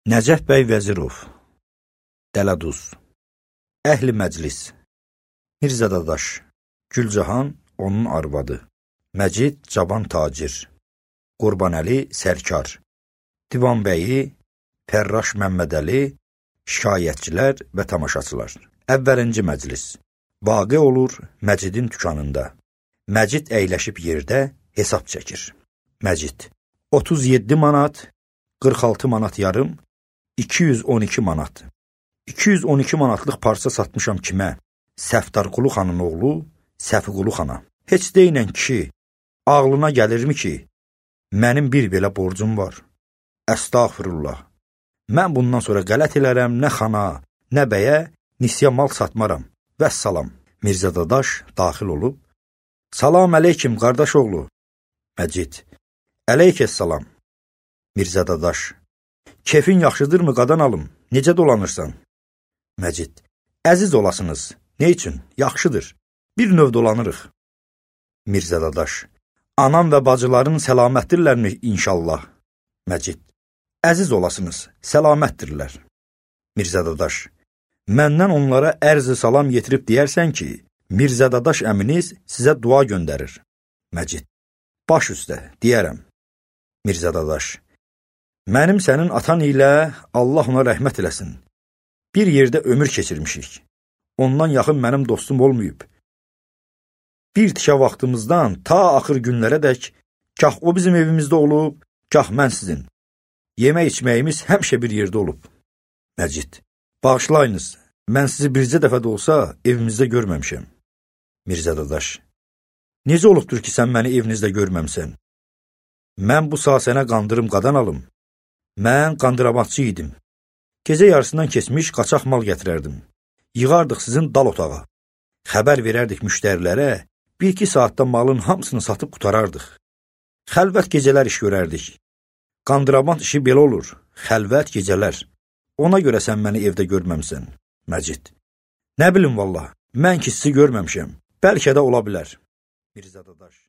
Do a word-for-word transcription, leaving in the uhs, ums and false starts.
Nəcəf bəy Vəzirov, Dələduz, Əhli Məclis, Mirzə Dadaş, Gülcahan, onun arvadı, Məcid Caban Tacir, Qurbanəli Sərkar, Divanbəyi, Fərraş Məmmədəli, şikayətçilər və tamaşaçılar. Əvvəlinci məclis. Vaqe olur Məcidin dükanında. Məcid əyləşib yerdə hesab çəkir. Məcid. otuz yeddi manat, qırx altı manat yarım, iki yüz on iki manat. iki yüz on iki manatlıq parça satmışam kimə? Səftarqulu xanın oğlu, Səfiqulu xana. Heç deynən kişi, ağlına gəlirmi ki, mənim bir belə borcum var? Əstağfirullah. Mən bundan sonra qələt elərəm, nə xana, nə bəyə, nisya mal satmaram. Vəssalam. Mirzə Dadaş daxil olub, salam əleykim, qardaş oğlu. Məcid, əleykəssalam. Mirzə Dadaş, kefin yaxşıdırmı qadan alım, necə dolanırsan? Məcid, əziz olasınız, ne üçün? Yaxşıdır, bir növ dolanırıq. Mirzə Dadaş, anam və bacıların səlamətdirlərmi inşallah? Məcid, əziz olasınız, səlamətdirlər. Mirzə Dadaş, məndən onlara ərz-i salam yetirib deyərsən ki, Mirzə Dadaş əminiz sizə dua göndərir. Məcid, baş üstə, deyərəm. Mirzə Dadaş, mənim sənin atan ilə Allah ona rəhmət eləsin. Bir yerdə ömür keçirmişik. Ondan yaxın mənim dostum olmayıb. Bir tikə vaxtımızdan ta axır günlərə dək, kah o bizim evimizdə olub, kah mən sizin. Yemək içməyimiz həmişə bir yerdə olub. Məcid, bağışlayınız, mən sizi bircə dəfə də olsa evimizdə görməmişəm. Mirzə Dadaş, necə olubdur ki, sən məni evinizdə görməmsən? Mən bu saat sənə qandırım qadan alım. Mən qandıramatçı idim. Gecə yarısından keçmiş qaçaq mal gətirərdim. Yığardıq sizin dal otağa. Xəbər verərdik müştərilərə, bir-iki saatda malın hamısını satıb qutarardıq. Xəlvət gecələr iş görərdik. Qandırabant işi belə olur, xəlvət gecələr. Ona görə sən məni evdə görməmsən. Məcid, nə bilim vallah, mən ki sizi görməmişəm, bəlkə də ola bilər. Mirzə Dadaş.